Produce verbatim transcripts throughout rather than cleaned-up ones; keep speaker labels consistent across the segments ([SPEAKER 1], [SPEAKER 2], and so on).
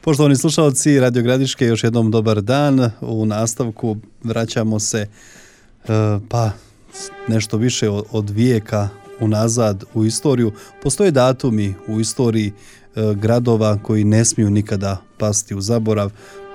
[SPEAKER 1] Poštovani slušalci Radio Gradiške, još jednom dobar dan. U nastavku vraćamo se pa nešto više od vijeka unazad u istoriju. Postoje datumi u istoriji gradova koji ne smiju nikada pasti u zaborav.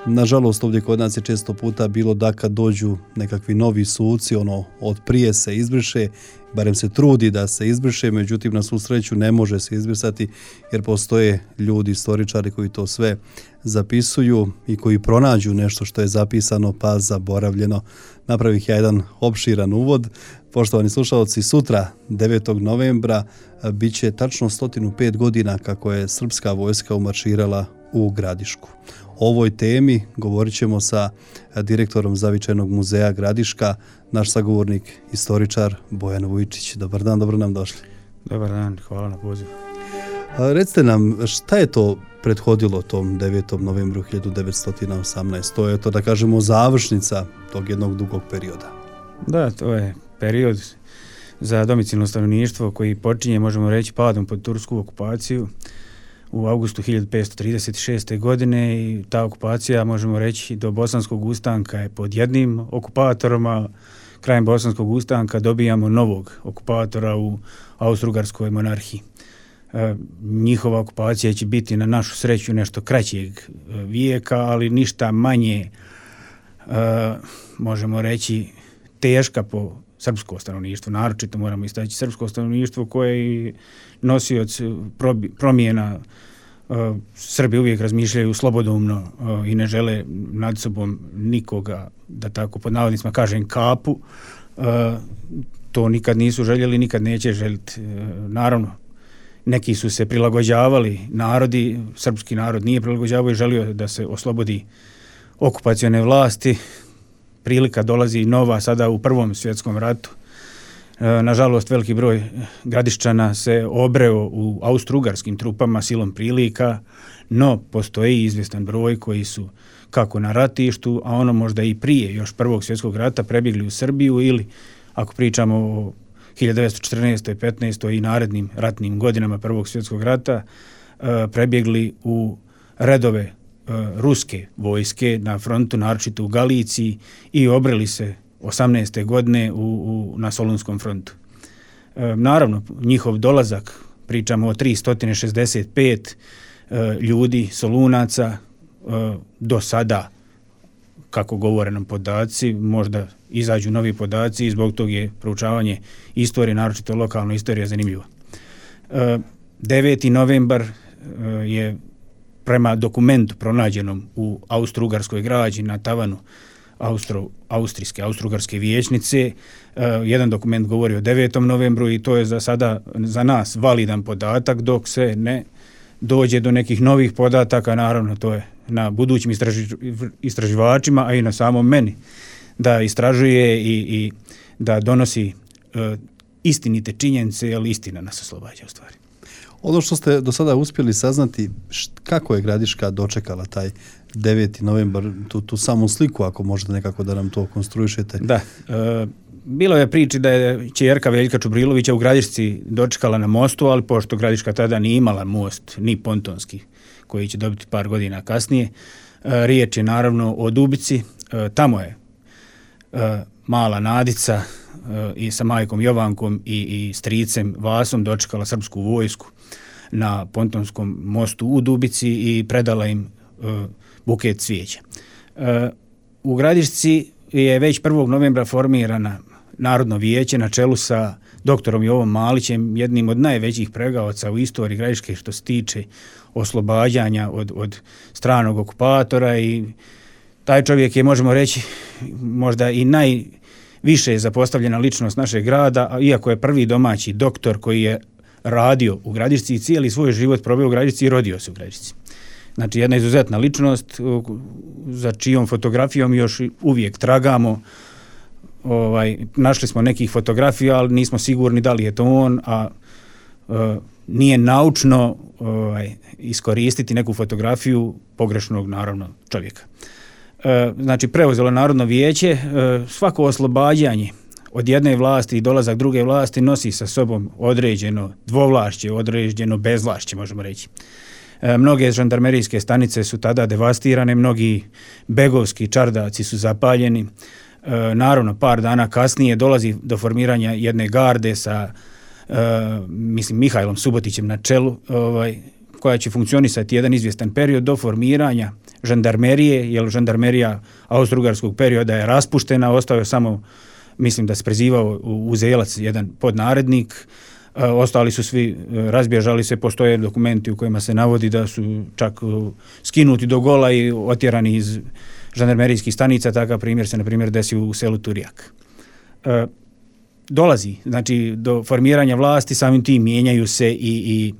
[SPEAKER 1] Nažalost, ovdje kod nas je često puta bilo da kad dođu nekakvi novi suci, ono od prije se izbriše, barem se trudi da se izbriše, međutim na svu sreću ne može se izbrisati jer postoje ljudi, istoričari koji to sve zapisuju i koji pronađu nešto što je zapisano pa zaboravljeno. Napravih ja jedan opširan uvod. Poštovani slušalci, sutra devetog novembra bit će tačno sto pet godina kako je srpska vojska umarširala u Gradišku. O ovoj temi govorit ćemo sa direktorom Zavičajnog muzeja Gradiška, naš sagovornik, istoričar Bojan Vujčić. Dobar dan, dobro nam došli.
[SPEAKER 2] Dobar dan, hvala na pozivu.
[SPEAKER 1] Recite nam, šta je to prethodilo tom devetom novembru hiljadu devetsto osamnaeste. To je to, da kažemo, završnica tog jednog dugog perioda.
[SPEAKER 2] Da, to je period za domicilno stanovništvo koji počinje, možemo reći, padom pod tursku okupaciju u avgustu hiljadu petsto trideset šeste. godine i ta okupacija, možemo reći, do Bosanskog ustanka je pod jednim okupatorom, a krajem Bosanskog ustanka dobijamo novog okupatora u Austro-Ugarskoj monarhiji. E, njihova okupacija će biti na našu sreću nešto kraćeg vijeka, ali ništa manje, e, možemo reći, teška po srpsko stanovništvo. Naročito moramo istaći srpsko stanovništvo koje je nosioc promjena. Srbi uvijek razmišljaju slobodumno i ne žele nad sobom nikoga, da tako pod navodnicima kažem, kapu. To nikad nisu željeli, nikad neće želiti. Naravno, neki su se prilagođavali, narodi, srpski narod nije prilagođavao i želio da se oslobodi okupacione vlasti. Prilika dolazi nova sada u Prvom svjetskom ratu. Nažalost, veliki broj Gradiščana se obreo u austro-ugarskim trupama silom prilika, no postoji izvjestan broj koji su kako na ratištu, a ono možda i prije još Prvog svjetskog rata prebjegli u Srbiju ili, ako pričamo o hiljadu devetsto četrnaestoj. petnaestoj i narednim ratnim godinama Prvog svjetskog rata, prebjegli u redove ruske vojske na frontu, naročito u Galiciji, i obreli se osamnaeste. godine u, u, na Solunskom frontu. E, naravno, njihov dolazak, pričamo o tristo šezdeset pet e, ljudi, Solunaca, e, do sada, kako govore nam podaci, možda izađu novi podaci i zbog tog je proučavanje istorije, naročito lokalna istorija, zanimljiva. E, deveti novembar e, je prema dokumentu pronađenom u austro-ugarskoj građi na tavanu Austro, austrijske, austro-ugarske vijećnice. Uh, jedan dokument govori o devetom novembru i to je za sada za nas validan podatak dok se ne dođe do nekih novih podataka. Naravno, to je na budućim istraži, istraživačima, a i na samom meni da istražuje i, i da donosi uh, istinite činjenice, jer istina nas oslobađa u stvari.
[SPEAKER 1] Ono što ste do sada uspjeli saznati, št, kako je Gradiška dočekala taj deveti novembar, tu, tu samu sliku, ako možete nekako da nam to konstruišete.
[SPEAKER 2] Da, e, bilo je priči da je ćerka Veljka Čubrilovića u Gradišci dočekala na mostu, ali pošto Gradiška tada nije imala most, ni pontonski, koji će dobiti par godina kasnije, e, riječ je naravno o Dubici. E, tamo je e, mala Nadica e, i sa majkom Jovankom i, i stricem Vasom dočekala srpsku vojsku na pontonskom mostu u Dubici i predala im e, buket cvijeća. E, u Gradišci je već prvog novembra formirana Narodno vijeće na čelu sa doktorom Jovom Malićem, jednim od najvećih pregaoca u istoriji Gradiške što se tiče oslobađanja od, od stranog okupatora, i taj čovjek je, možemo reći, možda i najviše zapostavljena ličnost našeg grada, iako je prvi domaći doktor koji je radio u Gradišci i cijeli svoj život proveo u Gradišci i rodio se u Gradišci. Znači, jedna izuzetna ličnost za čijom fotografijom još uvijek tragamo. Ovaj, našli smo nekih fotografija, ali nismo sigurni da li je to on, a e, nije naučno ovaj, iskoristiti neku fotografiju pogrešnog, naravno, čovjeka. E, znači, preuzelo Narodno vijeće, e, svako oslobađanje od jedne vlasti i dolazak druge vlasti nosi sa sobom određeno dvovlašće, određeno bezvlašće, možemo reći. Mnoge žandarmerijske stanice su tada devastirane, mnogi begovski čardaci su zapaljeni. Naravno, par dana kasnije dolazi do formiranja jedne garde sa mislim Mihajlom Subotićem na čelu, ovaj, koja će funkcionisati jedan izvjestan period do formiranja žandarmerije, jer žandarmerija austro-ugarskog perioda je raspuštena, ostao je samo, mislim da se prezivao Uzelac, jedan podnarednik, ostali su svi, razbježali se, postoje dokumenti u kojima se navodi da su čak skinuti do gola i otjerani iz žandarmerijskih stanica. Takav primjer se, na primjer, desio u selu Turijak. E, dolazi, znači, do formiranja vlasti, samim tim mijenjaju se i, i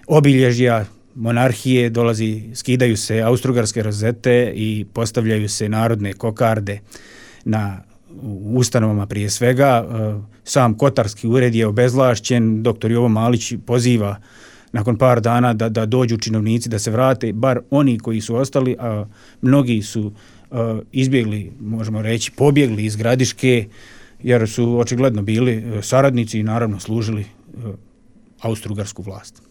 [SPEAKER 2] obilježja monarhije, dolazi, skidaju se austro-ugarske rozete i postavljaju se narodne kokarde na ustanovama prije svega. Sam kotarski ured je obezvlašćen, doktor Jovo Malić poziva nakon par dana da, da dođu činovnici, da se vrate, bar oni koji su ostali, a mnogi su a, izbjegli, možemo reći, pobjegli iz Gradiške, jer su očigledno bili saradnici i naravno služili a, austro-ugarsku vlast.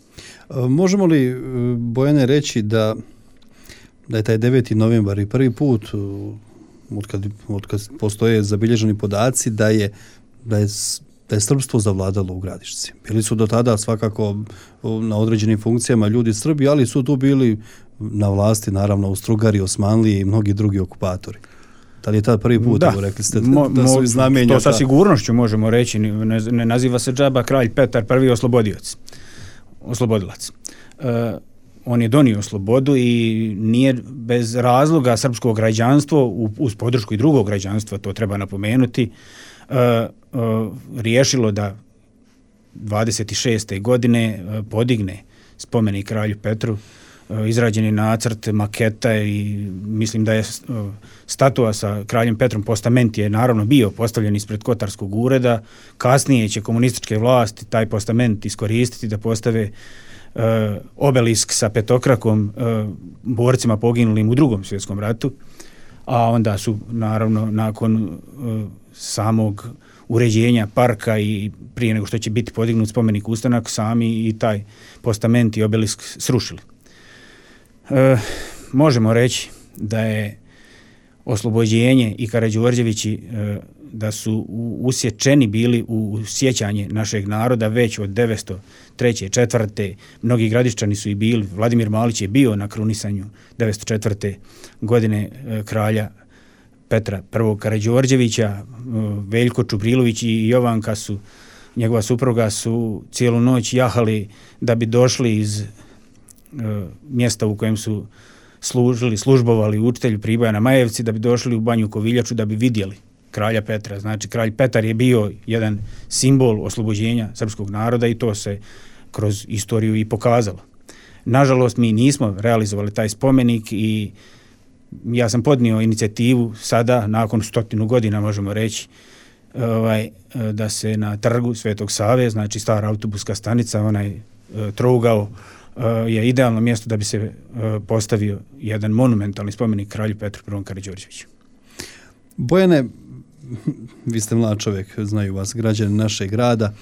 [SPEAKER 1] Možemo li, Bojane, reći da, da je taj deveti novembar i prvi put Otkad, otkad postoje zabilježeni podaci da je, da je, da je srpstvo zavladalo u Gradišci. Bili su do tada svakako na određenim funkcijama ljudi Srbi, ali su tu bili na vlasti naravno Austro-ugari, Osmanlije i mnogi drugi okupatori. Da li je tad prvi put,
[SPEAKER 2] da,
[SPEAKER 1] rekli ste,
[SPEAKER 2] mo,
[SPEAKER 1] da su znamenja?
[SPEAKER 2] To sa sigurnošću možemo reći, ne, ne naziva se džaba kralj Petar prvi oslobodioc, oslobodilac. E, On je donio slobodu i nije bez razloga srpsko građanstvo, uz podršku i drugog građanstva, to treba napomenuti, uh, uh, riješilo da dvadeset šeste godine uh, podigne spomenik kralju Petru, uh, izrađeni nacrt, maketa i mislim da je uh, statua sa kraljem Petrom, postament je naravno bio postavljen ispred kotarskog ureda. Kasnije će komunističke vlasti taj postament iskoristiti da postave Uh, obelisk sa petokrakom uh, borcima poginulim u drugom svjetskom ratu, a onda su naravno nakon uh, samog uređenja parka i prije nego što će biti podignut spomenik ustanak, sami i taj postament i obelisk srušili. Uh, možemo reći da je oslobođenje i Karađorđevići uh, da su usječeni bili u sjećanje našeg naroda već od devetsto treće. četvrte. Mnogi Gradiščani su i bili. Vladimir Malić je bio na krunisanju devetsto četvrte. godine kralja Petra prvog Karađorđevića. Veljko Čubrilović i Jovanka su, njegova supruga, su cijelu noć jahali da bi došli iz mjesta u kojem su služili, službovali učitelju Priboja na Majevci, da bi došli u Banju Koviljaču da bi vidjeli kralja Petra. Znači, kralj Petar je bio jedan simbol oslobođenja srpskog naroda i to se kroz istoriju i pokazalo. Nažalost, mi nismo realizovali taj spomenik i ja sam podnio inicijativu sada, nakon stotinu godina, možemo reći, ovaj, da se na trgu Svetog Save, znači stara autobuska stanica, onaj trougao, je idealno mjesto da bi se postavio jedan monumentalni spomenik kralju Petru prvom Karađorđeviću.
[SPEAKER 1] Bojane, vi ste mlad čovjek, znaju vas građani našeg grada,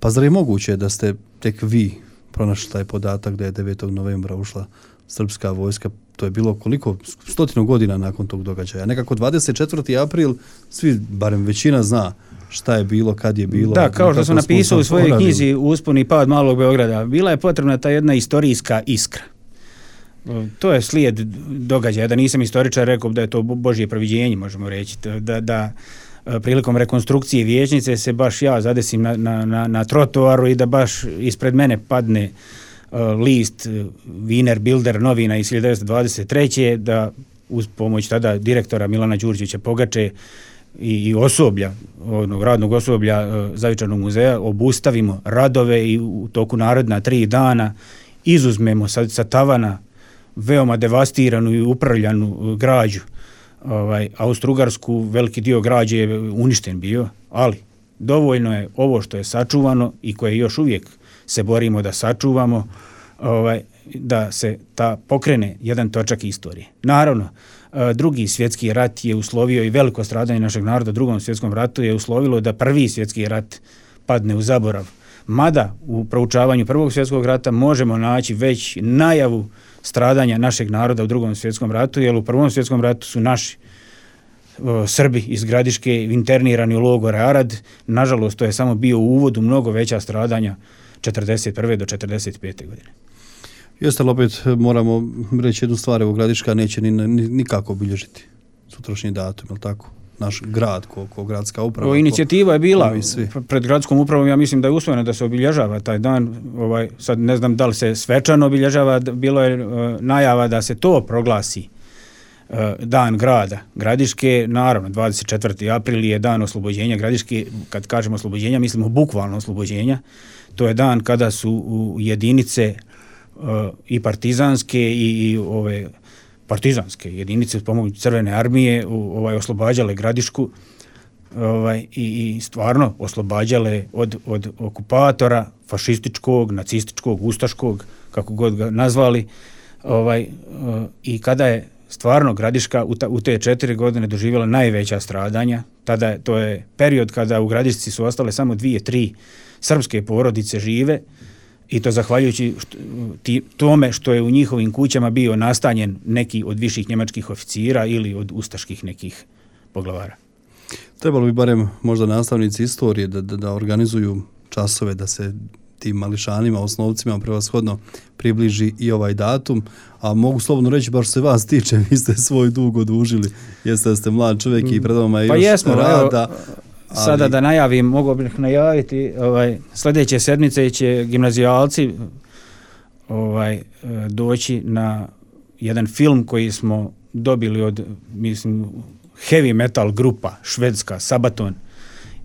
[SPEAKER 1] pa zar je moguće da ste tek vi pronašli taj podatak da je devetog novembra ušla srpska vojska? To je bilo koliko? Stotinu godina nakon tog događaja. Nekako dvadeset četvrti april, svi, barem većina, zna šta je bilo, kad je bilo.
[SPEAKER 2] Da, kao što sam napisao u svojoj knjizi Uspon i pad malog Beograda, bila je potrebna ta jedna istorijska iskra. To je slijed događaja. Da nisam istoričar, rekao da je to Božje proviđenje, možemo reći. Da, da prilikom rekonstrukcije vijećnice se baš ja zadesim na, na, na, na trotoaru i da baš ispred mene padne uh, list uh, Wiener Bilder novina iz hiljadu devetsto dvadeset treće. Da uz pomoć tada direktora Milana Đurđevića Pogače i, i osoblja, onog radnog osoblja uh, Zavičajnog muzeja obustavimo radove i u toku naredna tri dana izuzmemo sa, sa tavana veoma devastiranu i upravljanu građu. Ovaj, Austro-ugarsku, veliki dio građe je uništen bio, ali dovoljno je ovo što je sačuvano i koje još uvijek se borimo da sačuvamo, ovaj, da se ta pokrene jedan točak istorije. Naravno, drugi svjetski rat je uslovio i veliko stradanje našeg naroda u drugom svjetskom ratu je uslovilo da prvi svjetski rat padne u zaborav. Mada u proučavanju Prvog svjetskog rata možemo naći već najavu stradanja našeg naroda u Drugom svjetskom ratu, jer u Prvom svjetskom ratu su naši o, Srbi iz Gradiške internirani u logore Arad. Nažalost, to je samo bio uvod u mnogo veća stradanja četrdeset prve do četrdeset pete godine.
[SPEAKER 1] Jeste li opet moramo reći jednu stvar, evo Gradiška neće ni, ni, nikako obilježiti sutrašnji datum, je li tako? Naš grad, ko, ko gradska uprava.
[SPEAKER 2] O, inicijativa je bila
[SPEAKER 1] ko
[SPEAKER 2] pred gradskom upravom, ja mislim da je usvojeno da se obilježava taj dan. Ovaj, sad ne znam da li se svečano obilježava, bilo je uh, najava da se to proglasi uh, dan grada Gradiške. Naravno, dvadeset četvrti april je dan oslobođenja Gradiške. Kad kažemo oslobođenja, mislimo bukvalno oslobođenja. To je dan kada su u jedinice uh, i partizanske i, i ove partizanske jedinice uz pomoć Crvene armije u, ovaj, oslobađale Gradišku ovaj, i, i stvarno oslobađale od, od okupatora fašističkog, nacističkog, ustaškog, kako god ga nazvali. Ovaj, uh, I kada je stvarno Gradiška u, ta, u te četiri godine doživjela najveća stradanja, tada je, to je period kada u Gradišci su ostale samo dvije, tri srpske porodice žive, i to zahvaljujući što, ti, tome što je u njihovim kućama bio nastanjen neki od viših njemačkih oficira ili od ustaških nekih poglavara.
[SPEAKER 1] Trebalo bi barem možda nastavnici istorije da, da, da organizuju časove, da se tim mališanima, osnovcima prevashodno približi i ovaj datum, a mogu slobodno reći, baš se vas tiče, vi ste svoj dug odužili, jeste da ste mlad čovjek i pred vama je
[SPEAKER 2] pa
[SPEAKER 1] još
[SPEAKER 2] jesmo,
[SPEAKER 1] rada.
[SPEAKER 2] Evo, sada ali da najavim, mogu bih najaviti, ovaj, sljedeće sedmice će gimnazijalci ovaj, doći na jedan film koji smo dobili od, mislim, heavy metal grupa švedska Sabaton,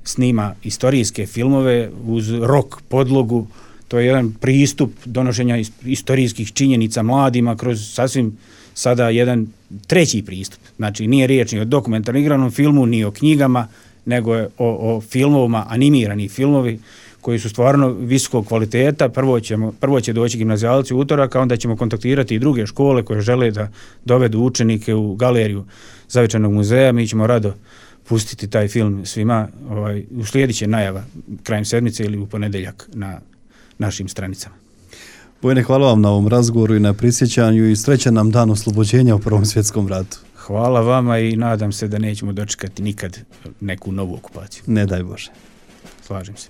[SPEAKER 2] snima istorijske filmove uz rock podlogu. To je jedan pristup donošenja istorijskih činjenica mladima kroz sasvim sada jedan treći pristup. Znači, nije riječ ni o dokumentarnom igranom filmu, ni o knjigama, nego je o, o filmovima, animirani filmovi koji su stvarno visokog kvaliteta. Prvo, ćemo, prvo će doći gimnazijalci u utorak, a onda ćemo kontaktirati i druge škole koje žele da dovedu učenike u galeriju Zavičajnog muzeja. Mi ćemo rado pustiti taj film svima. Ovaj, uslijedit će najava krajem sedmice ili u ponedjeljak na našim stranicama.
[SPEAKER 1] Bojane, hvala vam na ovom razgovoru i na prisjećanju i srećan nam dan oslobođenja u Prvom svjetskom ratu.
[SPEAKER 2] Hvala vama i nadam se da nećemo dočekati nikad neku novu okupaciju.
[SPEAKER 1] Ne daj Bože.
[SPEAKER 2] Slažem se.